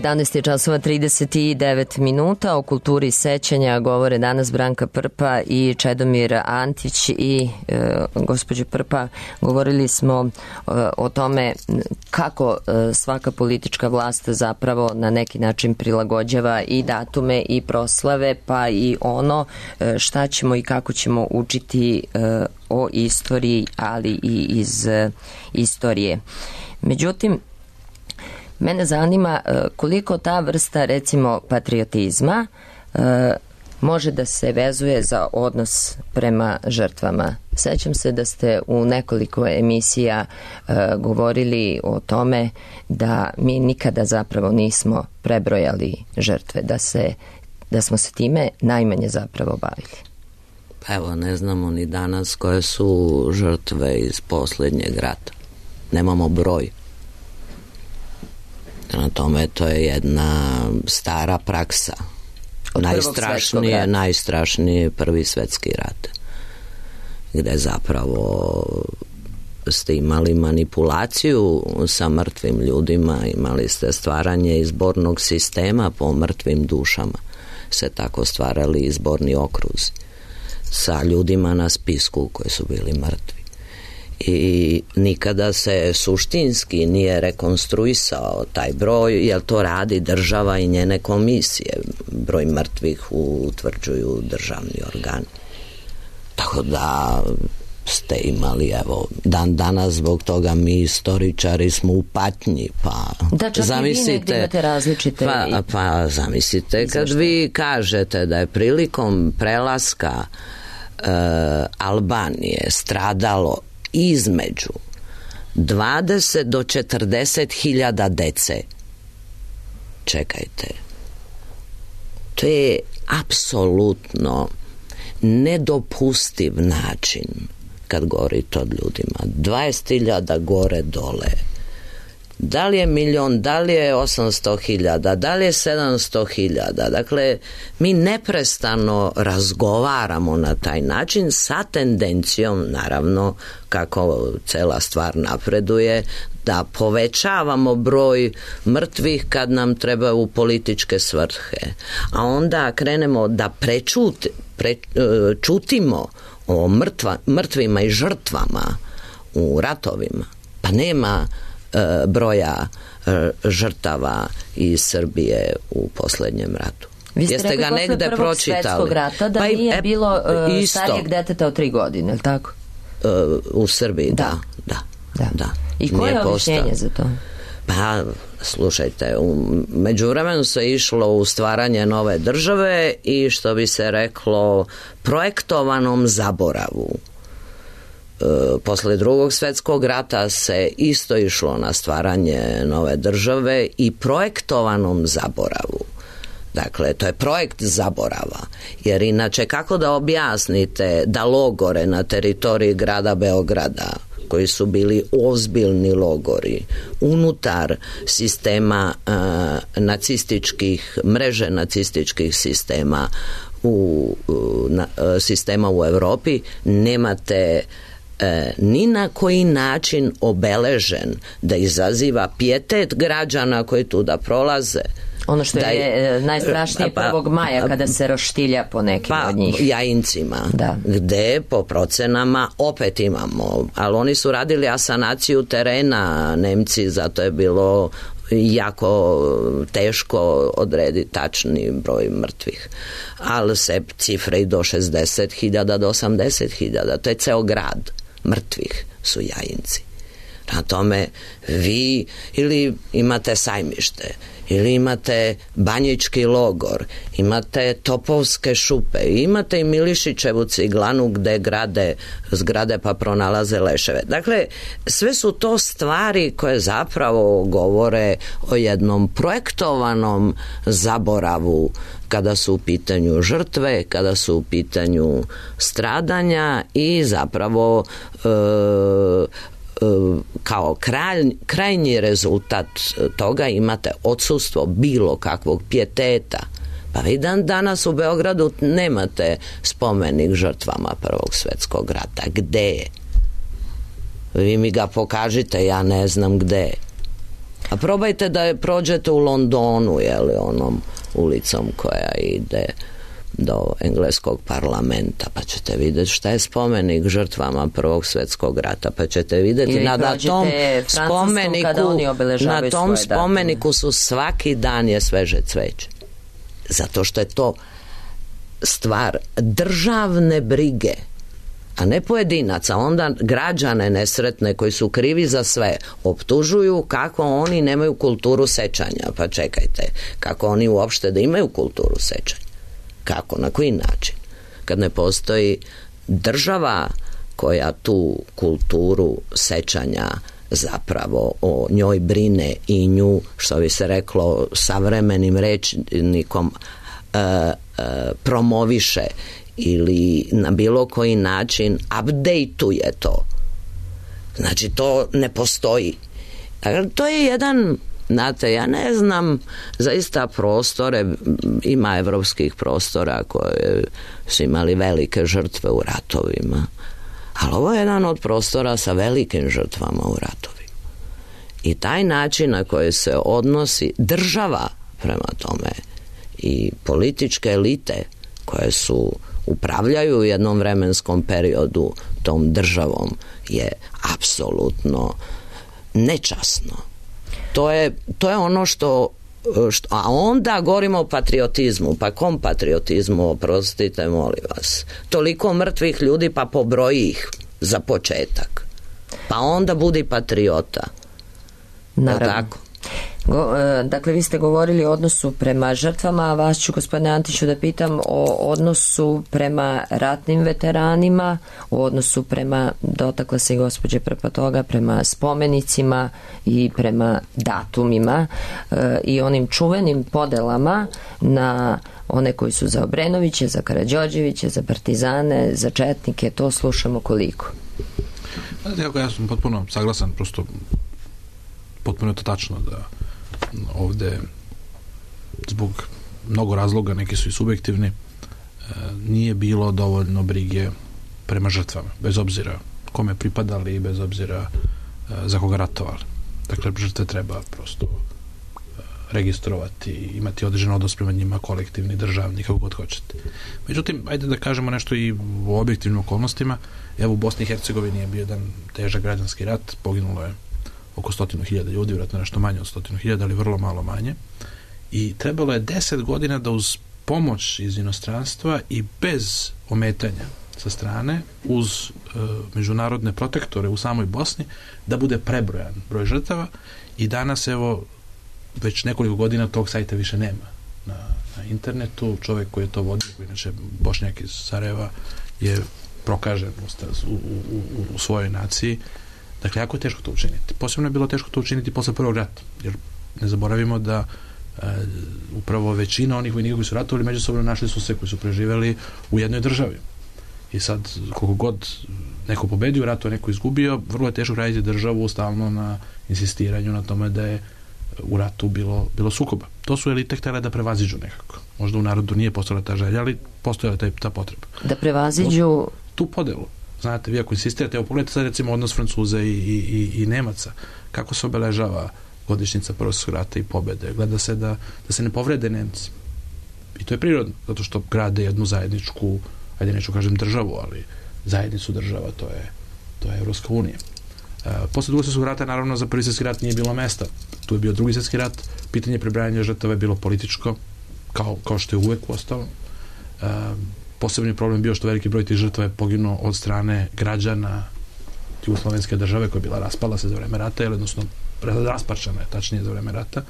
jedanaest je časova trideset devet minuta. O kulturi sećanja govore danas Branka Prpa i Čedomir Antić. I e, gospođo Prpa, govorili smo e, o tome kako e, svaka politička vlast zapravo na neki način prilagođava i datume i proslave, pa i ono e, šta ćemo i kako ćemo učiti e, o istoriji, ali i iz e, istorije. Međutim, mene zanima koliko ta vrsta, recimo, patriotizma može da se vezuje za odnos prema žrtvama. Sećam se da ste u nekoliko emisija uh, govorili o tome da mi nikada zapravo nismo prebrojali žrtve, da, se, da smo se time najmanje zapravo bavili. Pa evo, ne znamo ni danas koje su žrtve iz posljednjeg rata. Nemamo broj. Na tome to je jedna stara praksa. Najstrašnije, najstrašnije prvi svjetski rat, gdje zapravo ste imali manipulaciju sa mrtvim ljudima, imali ste stvaranje izbornog sistema po mrtvim dušama, se tako stvarali izborni okruzi sa ljudima na spisku koji su bili mrtvi. I nikada se suštinski nije rekonstruisao taj broj, jer to radi država i njene komisije. Broj mrtvih utvrđuju državni organi. Tako da ste imali, evo, dan danas zbog toga mi istoričari smo u patnji, pa da, čak zamislite, i vi negdje imate različite... Pa, pa zamislite kad vi kažete da je prilikom prelaska uh, Albanije stradalo između dvadeset do četrdeset hiljada dece. Čekajte. To je apsolutno nedopustiv način kad govorite o ljudima. dvadeset hiljada gore dole. Da li je milion, da li je osamsto hiljada, da li je sedamsto hiljada. Dakle, mi neprestano razgovaramo na taj način sa tendencijom, naravno, kako cela stvar napreduje, da povećavamo broj mrtvih kad nam treba u političke svrhe. A onda krenemo da prečut, prečutimo o mrtva, mrtvima i žrtvama u ratovima. Pa nema broja žrtava iz Srbije u posljednjem ratu. Vi ste Jeste rekli ga negde pročitali? Rata, da pa nije e, bilo uh, starijeg deteta od tri godine, je li tako? Uh, u Srbiji, da. Da, da, da. da. I koje je objašnjenje za to? Pa, slušajte, u međuvremenu se išlo u stvaranje nove države i, što bi se reklo, projektovanom zaboravu. Posle drugog svjetskog rata se isto išlo na stvaranje nove države i projektovanom zaboravu. Dakle, to je projekt zaborava. Jer inače, kako da objasnite da logore na teritoriji grada Beograda, koji su bili ozbiljni logori, unutar sistema uh, nacističkih, mreže nacističkih sistema u, u na, uh, sistema u Europi, nemate E, ni na koji način obeležen da izaziva pijetet građana koji tu da prolaze. Ono što da je, je najstrašnije pa, prvog maja kada se roštilja po nekim pa, od njih. Jajincima, da. Gde po procenama opet imamo, ali oni su radili asanaciju terena, Nemci, zato je bilo jako teško odrediti tačni broj mrtvih. Ali se cifre i do šezdeset hiljada, do osamdeset hiljada, to je ceo grad mrtvih su Jajinci. Na tome vi ili imate Sajmište, ili imate Banjički logor, imate Topovske šupe, imate i Milišićevu ciglanu gde grade zgrade pa pronalaze leševe. Dakle, sve su to stvari koje zapravo govore o jednom projektovanom zaboravu kada su u pitanju žrtve, kada su u pitanju stradanja i zapravo e, kao kraj, krajnji rezultat toga imate odsustvo bilo kakvog pijeteta. Pa vi dan danas u Beogradu nemate spomenik žrtvama Prvog svjetskog rata. Gde je? Vi mi ga pokažite, ja ne znam gde je. A probajte da prođete u Londonu, jeli, onom ulicom koja ide do engleskog parlamenta, pa ćete vidjeti šta je spomenik žrtvama Prvog svjetskog rata, pa ćete vidjeti na da tom spomeniku na tom spomeniku su svaki dan je sveže cveće. Zato što je to stvar državne brige, a ne pojedinaca. Onda građane nesretne koji su krivi za sve optužuju kako oni nemaju kulturu sećanja. Pa čekajte, kako oni uopšte da imaju kulturu sećanja? Kako, na koji način? Kad ne postoji država koja tu kulturu sećanja zapravo o njoj brine i nju, što bi se reklo savremenim rečnikom, e, e, promoviše ili na bilo koji način updateuje to. Znači, to ne postoji. Dakle, to je jedan, znate, ja ne znam, zaista prostore, ima evropskih prostora koje su imali velike žrtve u ratovima, ali ovo je jedan od prostora sa velikim žrtvama u ratovima. I taj način na koji se odnosi država prema tome i političke elite koje su upravljaju u jednom vremenskom periodu tom državom je apsolutno nečasno. To je, to je ono što, što... A onda govorimo o patriotizmu. Pa kom patriotizmu, oprostite, molim vas? Toliko mrtvih ljudi, pa pobroji ih za početak. Pa onda budi patriota. Naravno. Tako? Go, e, dakle, vi ste govorili o odnosu prema žrtvama, a vas ću, gospodine Antiću, da pitam o odnosu prema ratnim veteranima, o odnosu prema, dotakla se i gospođe prema toga, prema spomenicima i prema datumima e, i onim čuvenim podelama na one koji su za Obrenoviće, za Karađorđeviće, za partizane, za četnike. To slušamo koliko? Ja sam potpuno saglasan, prosto potpuno je to tačno da ovde zbog mnogo razloga, neki su i subjektivni, nije bilo dovoljno brige prema žrtvama, bez obzira kome pripadali i bez obzira za koga ratovali. Dakle, žrtve treba prosto registrovati, imati određen odnos prema njima, kolektivni, državni, kako god hoćete. Međutim, ajde da kažemo nešto i u objektivnim okolnostima. Evo, u Bosni i Hercegovini je bio jedan težak građanski rat, poginulo je oko stotinu hiljada ljudi, vjerojatno nešto manje od stotinu hiljada, ali vrlo malo manje. I trebalo je deset godina da uz pomoć iz inostranstva i bez ometanja sa strane, uz e, međunarodne protektore u samoj Bosni, da bude prebrojan broj žrtava. I danas, evo, već nekoliko godina tog sajta više nema na, na internetu. Čovjek koji je to vodio, koji inače Bošnjak iz Sarajeva, je prokažen u, u, u, u svojoj naciji. Dakle, jako je teško to učiniti. Posebno je bilo teško to učiniti posle prvog rata, jer ne zaboravimo da e, upravo većina onih vojnika koji su ratovali međusobno našli su se, koji su preživeli u jednoj državi. I sad, koliko god neko pobedio u ratu, neko izgubio, vrlo je teško raditi državu stalno na insistiranju na tome da je u ratu bilo, bilo sukoba. To su elite htjele da prevaziđu nekako. Možda u narodu nije postojala ta želja, ali postojala ta, ta potreba. Da prevaziđu tu podelu. Znate, vi ako insistirate, evo pogledajte sad recimo odnos Francuza i, i, i, i Nemaca, kako se obeležava godišnjica Prvog svjetskog rata i pobede. Gleda se da, da se ne povrede Nemci. I to je prirodno, zato što grade jednu zajedničku, ajde neću kažem državu, ali zajednicu država, to je, to je Evropska unija. E, posle Drugog svjetskog rata, naravno, za Prvi svjetski rat nije bilo mesta. Tu je bio Drugi svjetski rat, pitanje prebrajanja žrtava je bilo političko, kao, kao što je uvek ostalo. E, Posebni problem bio što veliki broj tih žrtava je poginuo od strane građana jugoslovenske države koja je bila raspala se za vreme rata, ili odnosno rasparčana je, tačnije za vreme rata.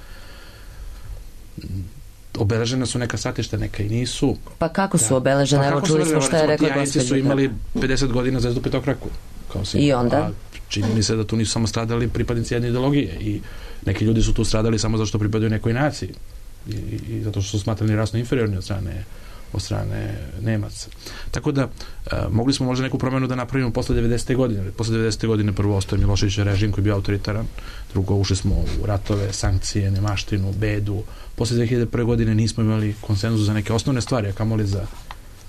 Obeležene su neka stratišta, neka i nisu. Pa kako su obeležene? Pa Evo čuli smo šta je rekla gospođa. Tijanici su imali pedeset godina zvezdu petokraku. Kao I onda? A čini mi se da tu nisu samo stradali pripadnici jedne ideologije i neki ljudi su tu stradali samo zato što pripadaju nekoj naciji i, i, i zato što su smatrani rasno inferiorni od strane od strane Nemaca. Tako da, e, mogli smo možda neku promenu da napravimo posle devedesete godine. Posle devedesete godine prvo ostaje Miloševićev režim koji je bio autoritaran, drugo ušli smo u ratove, sankcije, nemaštinu, bedu. Posle dve hiljade prve godine nismo imali konsenzus za neke osnovne stvari, a kamoli za,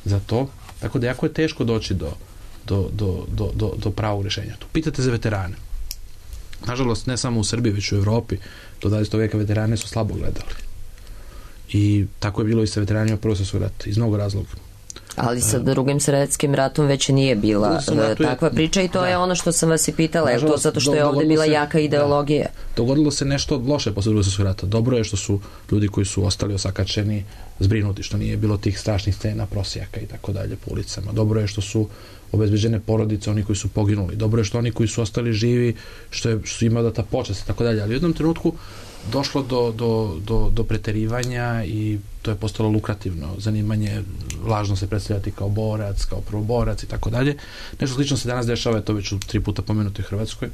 za to. Tako da jako je teško doći do, do, do, do, do, do pravog rješenja. Tu pitate za veterane. Nažalost, ne samo u Srbiji, već u Evropi, do dvadesetog veka veterane su slabo gledali. I tako je bilo i sa veteranima Prvog svjetskog rata, iz mnogo razloga. Ali sa Drugim svjetskim ratom već nije bila takva priča i to da. je ono što sam vas i pitala, je to zato što je ovdje bila se, jaka ideologija. Da, dogodilo se nešto loše posle Drugog svjetskog rata. Dobro je što su ljudi koji su ostali osakačeni zbrinuti, što nije bilo tih strašnih scena prosjaka i tako dalje po ulicama. Dobro je što su obezbeđene porodice, oni koji su poginuli. Dobro je što oni koji su ostali živi, što, je, što su imali da ta počast i tako dalje. Ali u jednom trenutku došlo do, do, do, do preterivanja i to je postalo lukrativno zanimanje, lažno se predstavljati kao borac, kao prvoborac i tako dalje. Nešto slično se danas dešava, to već u tri puta pomenuto u Hrvatskoj.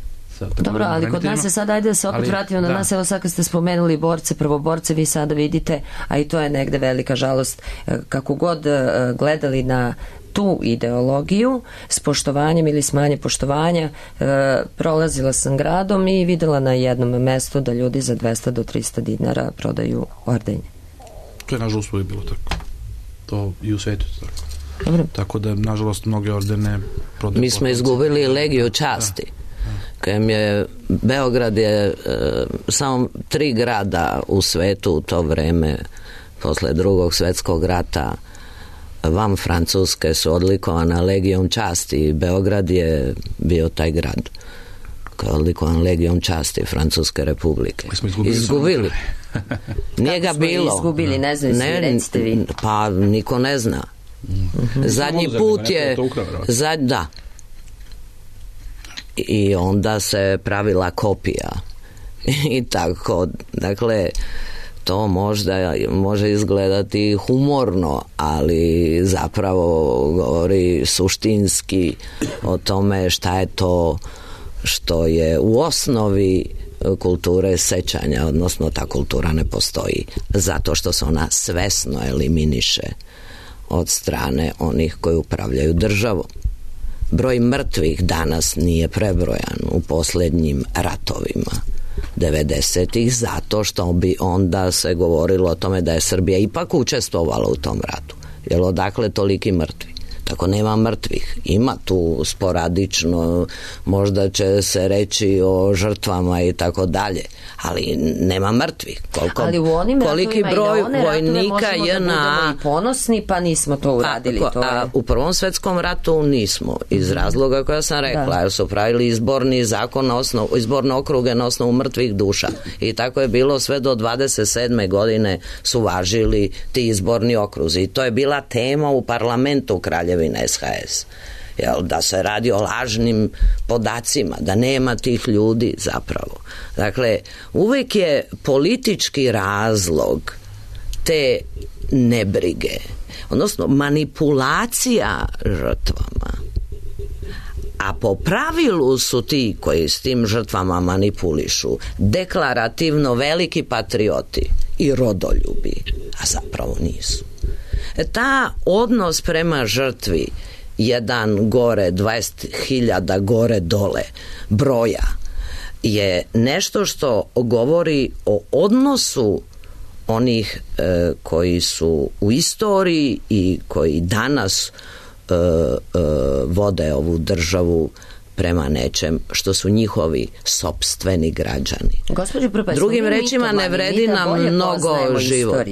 Dobro, ali kod nas je sad, ajde da se opet ali, vratimo na da. nas, evo sad kad ste spomenuli borce, prvoborce, vi sada vidite, a i to je negde velika žalost, kako god gledali na tu ideologiju s poštovanjem ili s manje poštovanja, e, prolazila sam gradom i videla na jednom mestu da ljudi za dvesta do trista dinara prodaju ordenje. To je nažalost uvijek bilo tako. To i u svetu je tako. Dobro. Tako da nažalost mnoge ordene prodaju. Mi smo izgubili Legiju časti. Da. Kojem je Beograd je e, samo tri grada u svetu u to vreme posle drugog svjetskog rata van Francuske su odlikovana Legijom časti i Beograd je bio taj grad koji je odlikovan Legijom časti Francuske republike. Mi smo izgubili. izgubili. Nije ga bilo. Izgubili, ne znam, ne, recite vi. Pa niko ne zna. Mm-hmm. Zadnji put je zad, da. I onda se pravila kopija i tako, dakle to možda može izgledati humorno, ali zapravo govori suštinski o tome šta je to što je u osnovi kulture sećanja, odnosno ta kultura ne postoji zato što se ona svesno eliminiše od strane onih koji upravljaju državom. Broj mrtvih danas nije prebrojan u posljednjim ratovima devedesetih zato što bi onda se govorilo o tome da je Srbija ipak učestvovala u tom ratu. Jer odakle toliki mrtvi? Tako nema mrtvih. Ima tu sporadično, možda će se reći o žrtvama i tako dalje, ali nema mrtvih. Koliko, ali u onim koliki broj vojnika je na i ponosni, pa nismo to uradili. Pa, to je... A u Prvom svjetskom ratu nismo, iz razloga koja sam rekla, jer su pravili izborni zakon na osnovu, izborne okruge na osnovu mrtvih duša. I tako je bilo sve do dvadeset sedme godine su važili ti izborni okruzi. I to je bila tema u parlamentu Kraljevine S H S. Jel, da se radi o lažnim podacima, da nema tih ljudi zapravo. Dakle, uvijek je politički razlog te nebrige, odnosno manipulacija žrtvama. A po pravilu su ti koji s tim žrtvama manipulišu deklarativno veliki patrioti i rodoljubi, a zapravo nisu. E, ta odnos prema žrtvi jedan gore, dvadeset hiljada gore dole broja je nešto što govori o odnosu onih e, koji su u istoriji i koji danas e, e, vode ovu državu prema nečem što su njihovi sopstveni građani. Gospođo Prpa, drugim rečima ne vredi nam mnogo život.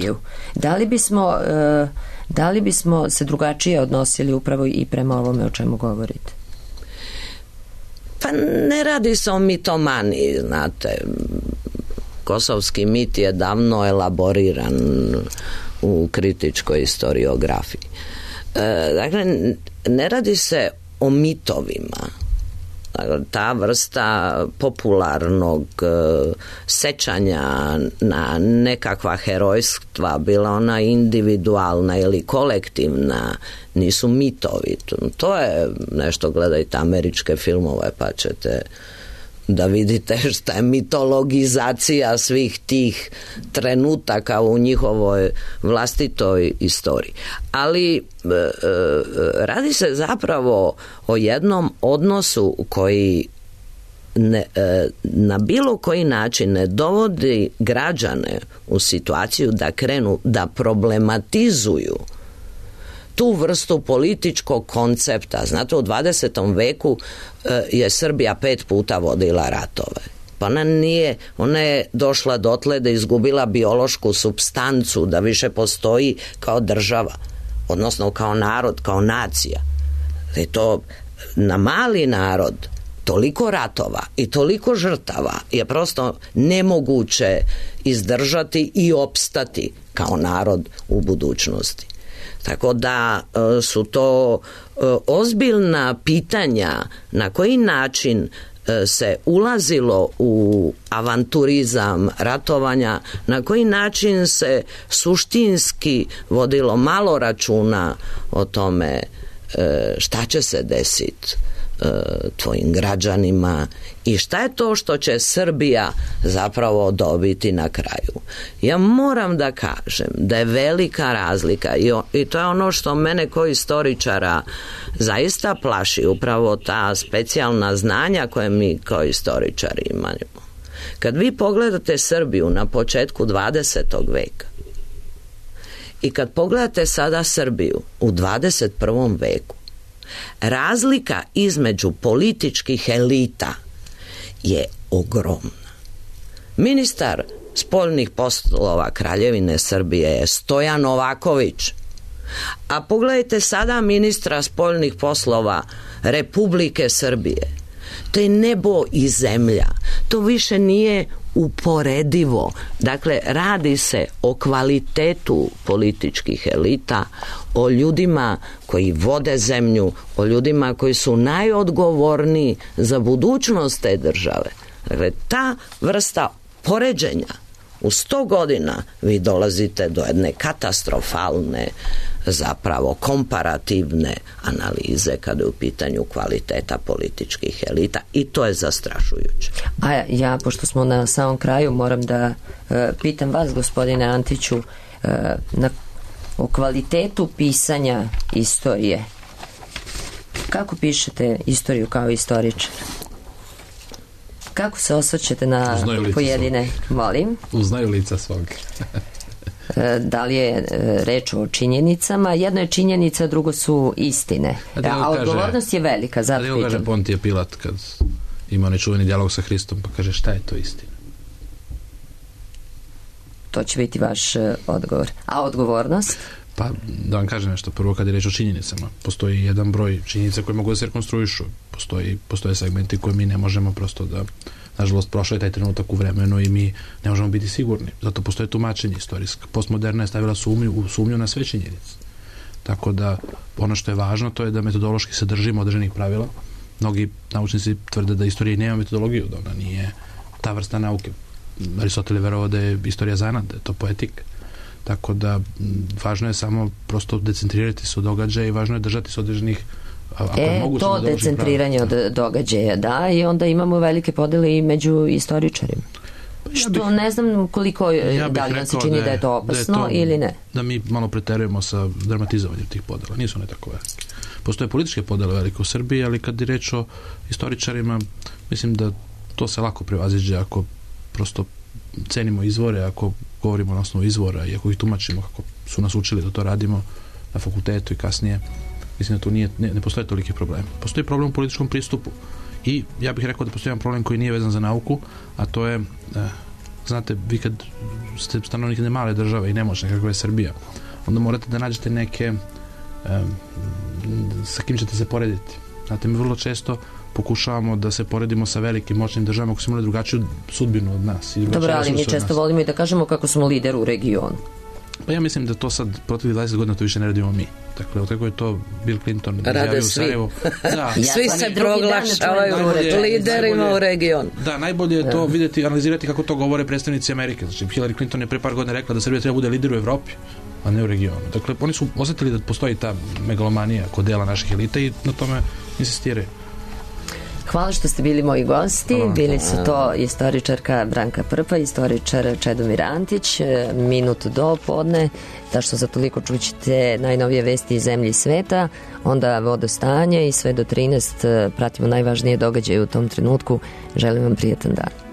Da li bismo e, da li bismo se drugačije odnosili upravo i prema ovome o čemu govorite? Pa ne radi se o mitomaniji, znate. Kosovski mit je davno elaboriran u kritičkoj historiografiji. E, dakle, ne radi se o mitovima. Ta vrsta popularnog uh, sećanja na nekakva herojstva, bila ona individualna ili kolektivna, nisu mitovi. To je nešto, gledajte američke filmove pa ćete da vidite šta je mitologizacija svih tih trenutaka u njihovoj vlastitoj istoriji. Ali e, e, radi se zapravo o jednom odnosu koji ne, e, na bilo koji način ne dovodi građane u situaciju da krenu da problematizuju tu vrstu političkog koncepta. Znate, u dvadesetom veku e, je Srbija pet puta vodila ratove. Pa ona nije, ona je došla dotle da izgubila biološku supstancu, da više postoji kao država, odnosno kao narod, kao nacija. I to na mali narod toliko ratova i toliko žrtava je prosto nemoguće izdržati i opstati kao narod u budućnosti. Tako da su to ozbiljna pitanja na koji način se ulazilo u avanturizam ratovanja, na koji način se suštinski vodilo malo računa o tome šta će se desiti tvojim građanima i šta je to što će Srbija zapravo dobiti na kraju. Ja moram da kažem da je velika razlika i, o, i to je ono što mene kao istoričara zaista plaši, upravo ta specijalna znanja koje mi kao istoričari imamo. Kad vi pogledate Srbiju na početku dvadesetog veka i kad pogledate sada Srbiju u dvadeset prvom veku, razlika između političkih elita je ogromna. Ministar spoljnih poslova Kraljevine Srbije je Stojan Novaković, a pogledajte sada ministra spoljnih poslova Republike Srbije. To je nebo i zemlja. To više nije uporedivo. Dakle, radi se o kvalitetu političkih elita, o ljudima koji vode zemlju, o ljudima koji su najodgovorniji za budućnost te države. Dakle, ta vrsta poređenja u sto godina vi dolazite do jedne katastrofalne, zapravo komparativne analize kada je u pitanju kvaliteta političkih elita i to je zastrašujuće. A ja, pošto smo na samom kraju, moram da e, pitam vas, gospodine Antiću, e, na, o kvalitetu pisanja istorije. Kako pišete istoriju kao istoričar? Kako se osvrćete na pojedine? Svog. Molim? Uznaju lica svog. Da li je reč o činjenicama? Jedno je činjenica, drugo su istine. A, a odgovornost kaže, je velika, zato pitam. Kaže Pontije Pilat kad ima onaj čuveni dijalog sa Hristom, pa kaže šta je to istina? To će biti vaš odgovor. A odgovornost? Pa da vam kažem nešto, prvo kad je reč o činjenicama, postoji jedan broj činjenica koje mogu da se rekonstruišu, postoji, postoje segmenti koje mi ne možemo prosto da, nažalost, prošao je taj trenutak u vremenu i mi ne možemo biti sigurni, zato postoje tumačenje istorijska. Postmoderna je stavila sumnju, u sumnju na sve činjenice. Tako da ono što je važno to je da metodološki se držimo određenih pravila. Mnogi naučnici tvrde da istorija nema metodologiju, da ona nije ta vrsta nauke. Aristotel je verovao da je istorija zanat, da je to poetika. Tako da važno je samo prosto decentrirati se od događaja i važno je držati se određenih ako e, je moguće, to decentriranje od događaja, da, i onda imamo velike podele i među istoričarima. Pa ja što bih, ne znam koliko ja da li nam se čini da je, da je to opasno da je to, ili ne. Da mi malo preterujemo sa dramatizovanjem tih podela. Nisu one tako velike. Postoje političke podele velike u Srbiji, ali kad je reč o istoričarima, mislim da to se lako prevaziđe ako prosto cenimo izvore, ako govorimo na osnovu izvora i ako ih tumačimo kako su nas učili da to radimo na fakultetu i kasnije, mislim da tu nije, ne, ne postoje toliki problem. Postoji problem u političkom pristupu i ja bih rekao da postoji jedan problem koji nije vezan za nauku, a to je, eh, znate, vi kad ste stanovnik jedne male države i nemoćne kakva je Srbija, onda morate da nađete neke eh, sa kim ćete se porediti. Znate, mi vrlo često pokušavamo da se poredimo sa velikim moćnim državama koji su imali drugačiju sudbinu od nas. I dobro, ali mi često volimo i da kažemo kako smo lider u regionu. Pa ja mislim da to sad protiv dvadeset godina to više ne radimo mi. Dakle, od kako je to Bill Clinton rade svi. Da. Svi se proglašavaju liderima u regionu. Da, najbolje je to vidjeti, analizirati kako to govore predstavnici Amerike. Znači, Hillary Clinton je pre par godina rekla da Srbija treba bude lider u Evropi, a ne u regionu. Dakle, oni su osjetili da postoji ta megalomanija kod dela naših elita i na tome insistiraju. Hvala što ste bili moji gosti. Hvala. Bili su to istoričarka Branka Prpa, istoričar Čedomir Antić. Minut do podne, da što za toliko čućete najnovije vesti iz zemlje i sveta, onda vodostanje i sve do trinaest pratimo najvažnije događaje u tom trenutku. Želim vam prijetan dan.